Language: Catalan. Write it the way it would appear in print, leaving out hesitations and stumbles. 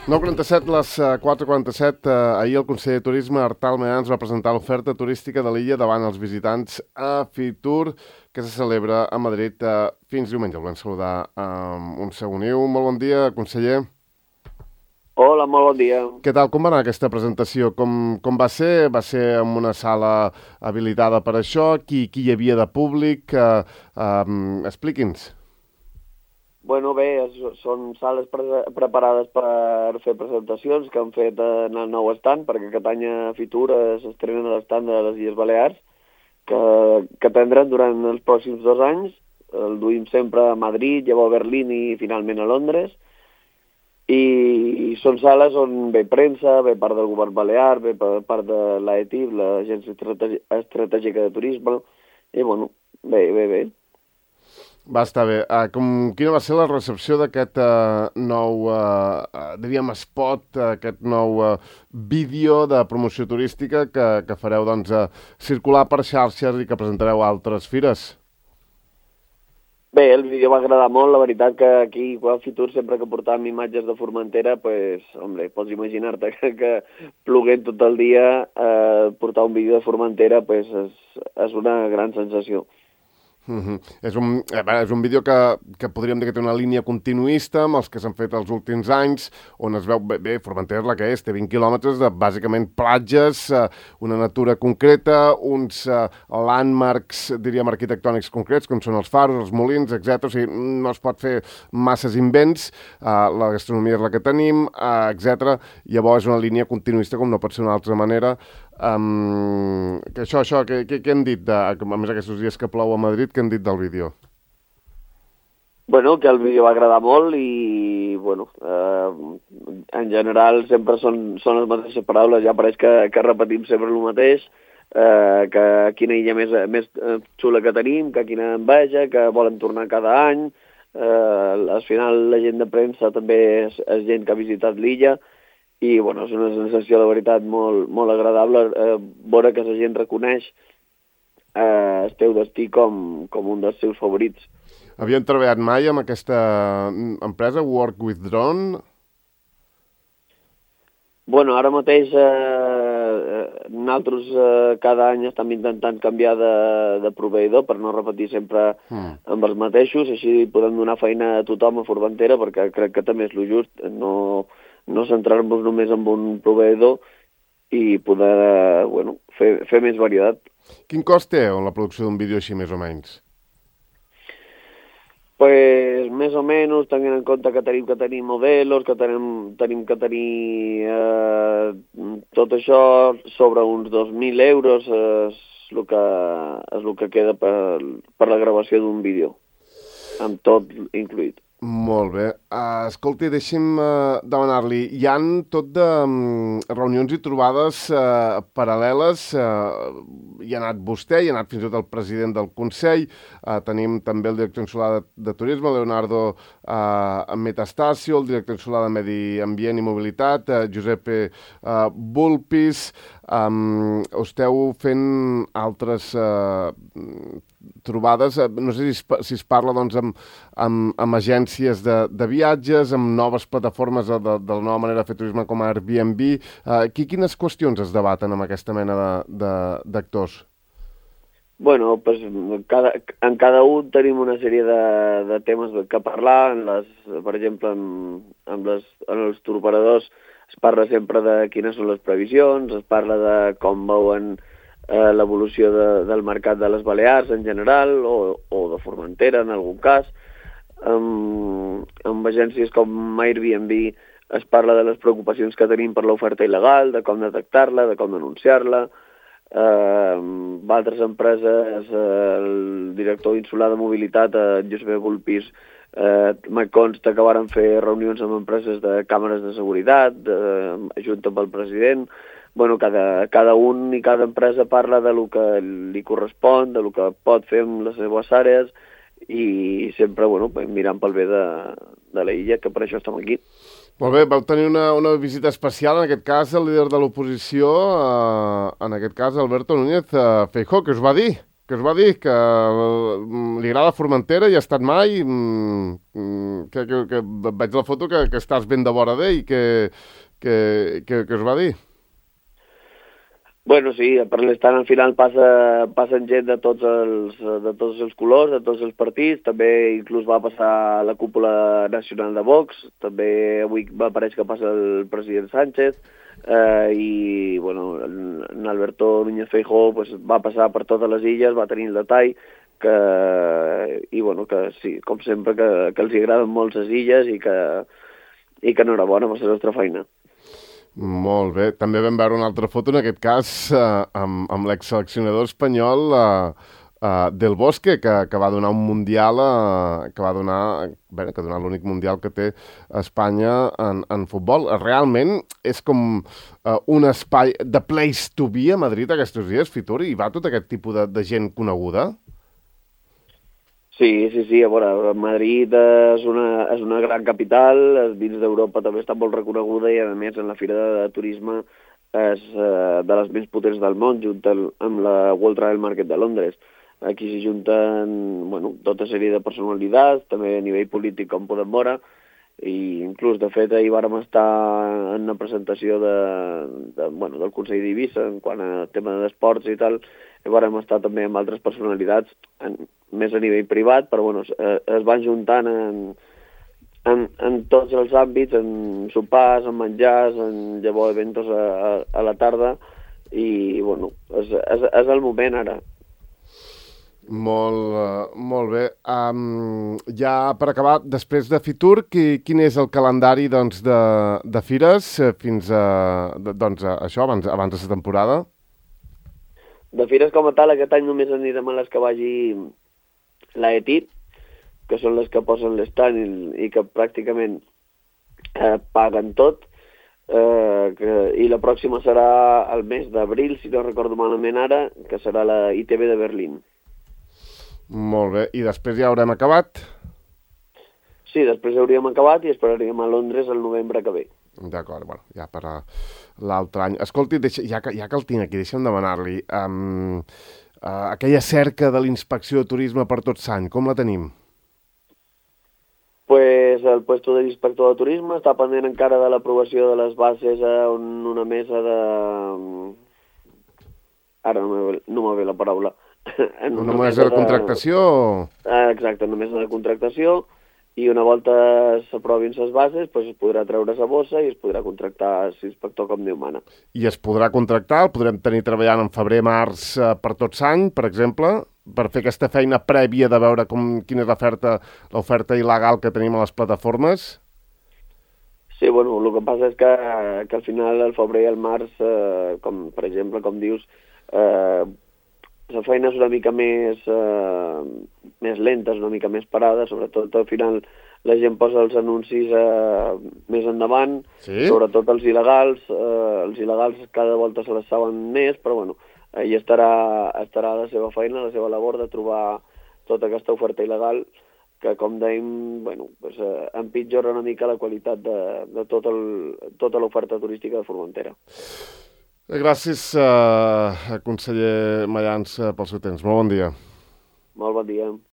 9:47, les 4:47. Ahir el conseller de Turisme, Artal Means, va presentar l'oferta turística de l'illa davant els visitants a Fitur, que se celebra a Madrid fins diumenge. El volem saludar amb un segoniu. Molt bon dia, conseller. Hola, molt bon dia. Què tal? Com va anar aquesta presentació? Com va ser? Va ser en una sala habilitada per això? Qui hi havia de públic? Expliqui'ns. Bueno, bé, són sales preparades per fer presentacions que han fet en el nou estand, perquè aquest any a Fitur s'estrena l'estant de les Illes Balears, que tindran durant els pròxims 2 anys. El duim sempre a Madrid, llavors a Berlín i finalment a Londres. I són sales on ve premsa, ve part del govern balear, ve part de l'AETIB, l'Agència Estratègica de Turisme, i bueno, bé. Va estar bé. Quina va ser la recepció d'aquest nou, diríem, spot, aquest nou vídeo de promoció turística que fareu circular per xarxes i que presentareu a altres fires? Bé, el vídeo va agradar molt. La veritat que aquí a Fitur, sempre que portàvem imatges de Formentera, pues, hombre, pots imaginar-te que ploguent tot el dia, portar un vídeo de Formentera pues, és una gran sensació. És un vídeo que podríem dir que té una línia continuista amb els que s'han fet els últims anys, on es veu bé, Formentera és la que és, té 20 quilòmetres de bàsicament platges, una natura concreta, uns landmarks, diríem, arquitectònics concrets, com són els faros, els molins, etc. O sigui, no es pot fer masses invents, la gastronomia és la que tenim, etc. Llavors és una línia continuista com no pot ser d'una altra manera. Què han dit, a més aquests dies que plou a Madrid, què han dit del vídeo? Bueno, que el vídeo va agradar molt i, bueno, en general sempre són les mateixes paraules, ja pareix que repetim sempre el mateix, que quina illa més xula que tenim, que quina enveja, que volen tornar cada any. Al final la gent de premsa també és gent que ha visitat l'illa, i bueno, és una sensació de veritat molt agradable veure que la gent reconeix el teu destí com un dels seus favorits. Havien treballat mai amb aquesta empresa, Work with Drone? Bueno, ara mateix nosaltres cada any estem intentant canviar de proveïdor per no repetir sempre amb els mateixos, així podem donar feina a tothom a Formentera, perquè crec que també és el just, no centrar-nos només en un proveïdor i poder fer més varietat. Quin cost té la producció d'un vídeo així, més o menys? Pues més o menys, tenint en compte que tenim que tenir modelos, que tenim que tenir tot això sobre uns 2.000 euros és el que queda per la gravació d'un vídeo, amb tot incluït. Molt bé. Escolti, deixi'm demanar-li, hi han tot de reunions i trobades paral·leles, hi ha anat vostè, hi ha anat fins i tot el president del Consell, tenim també el director insular de Turisme, Leonardo Metastasio, el director insular de Medi Ambient i Mobilitat, Giuseppe Vulpis. Esteu fent altres trobades, no sé si es parla amb agències de viatges, amb noves plataformes de la nova manera de fer turisme com a Airbnb. Quines qüestions es debaten amb aquesta mena d'actors? Bueno, pues en cada un tenim una sèrie de temes que parlar. Per exemple, en els touroperadors es parla sempre de quines són les previsions, es parla de com veuen l'evolució del mercat de les Balears en general, o de Formentera en algun cas. Amb agències com Airbnb es parla de les preocupacions que tenim per l'oferta il·legal, de com detectar-la, de com denunciar-la. Altres empreses, el director insular de mobilitat, Josep Vulpis, me consta que varen fer reunions amb empreses de càmeres de seguretat, junt amb el president. Bueno, cada un i cada empresa parla de lo que li correspon, de lo que pot fer amb les seves àrees, i sempre mirant pel bé de la illa, que per això estem aquí. Molt bé, vau tenir una visita especial, en aquest cas, el líder de l'oposició, en aquest cas, Alberto Núñez Feijóo, que us va dir? què us va dir? Que li agrada Formentera i ha estat mai? Que veig la foto que estàs ben de vora d'ell. Què us va dir? Bueno, sí, per l'estat al final passen gent de tots els colors, de tots els partits, també inclús va passar la cúpula nacional de Vox, també avui m'apareix que passa el president Sánchez, i bueno, en Alberto Núñez Feijóo pues, va passar per totes les illes, va tenir el detall, i bueno, que sí, com sempre, que els agraden molt les illes i que enhorabona per la nostra feina. Molt bé. També vam veure una altra foto, en aquest cas, amb l'exseleccionador espanyol Del Bosque, que va donar un mundial, que va donar l'únic mundial que té Espanya en futbol. Realment és com un espai de place to be a Madrid aquests dies, Fitur, i va tot aquest tipus de gent coneguda? Sí, a veure, Madrid és una gran capital, dins d'Europa també està molt reconeguda i a més en la Fira de Turisme és de les més potents del món, junt amb la World Travel Market de Londres. Aquí s'hi junten tota sèrie de personalitats, també a nivell polític com podem veure, i inclús de fet ahir vàrem estar en una presentació del Consell d'Eivissa en quant a tema d'esports i tal, i vàrem estar també amb altres personalitats més a nivell privat, però es van juntant en tots els àmbits, en sopars, en menjars, en llavors eventos a la tarda, i és el moment ara. Molt bé. Ja per acabar, després de Fitur, quin és el calendari de fires fins a això, abans de la temporada? De fires com a tal, aquest any només anirem a les que vagi l'ETI, que són les que posen l'estand i que pràcticament paguen tot, i la pròxima serà el mes d'abril, si no recordo malament ara, que serà la ITB de Berlín. Molt bé, i després ja haurem acabat? Sí, després hauríem acabat i esperaríem a Londres el novembre que ve. D'acord, bueno, ja per l'altre any. Escolti, ja que el tinc aquí, deixa'm demanar-li, aquella cerca de l'inspecció de turisme per Tot Sant, com la tenim? Pues el puesto de l'inspector de turisme està pendent encara de l'aprovació de les bases en una mesa de... Ara no me ve la paraula. Una mesa de contractació? Exacte, una mesa de contractació, i una volta s'aprovin les bases es podrà treure la bossa i es podrà contractar l'inspector com Déu mana. I es podrà contractar, el podrem tenir treballant en febrer-març per Tot Sant, per exemple, per fer aquesta feina prèvia de veure quina és l'oferta il·legal que tenim a les plataformes? Sí, el que passa és que al final, al febrer i al març, com per exemple, com dius, la feina és una mica més lenta, és una mica més parada, sobretot al final la gent posa els anuncis més endavant, sí? Sobretot els il·legals cada volta se les saben més, però ahí estarà la seva feina, la seva labor de trobar tota aquesta oferta il·legal que, com dèiem, empitjora una mica la qualitat de tota l'oferta turística de Formentera. Gràcies, conseller Mayans, pel seu temps. Molt bon dia. Molt bon dia.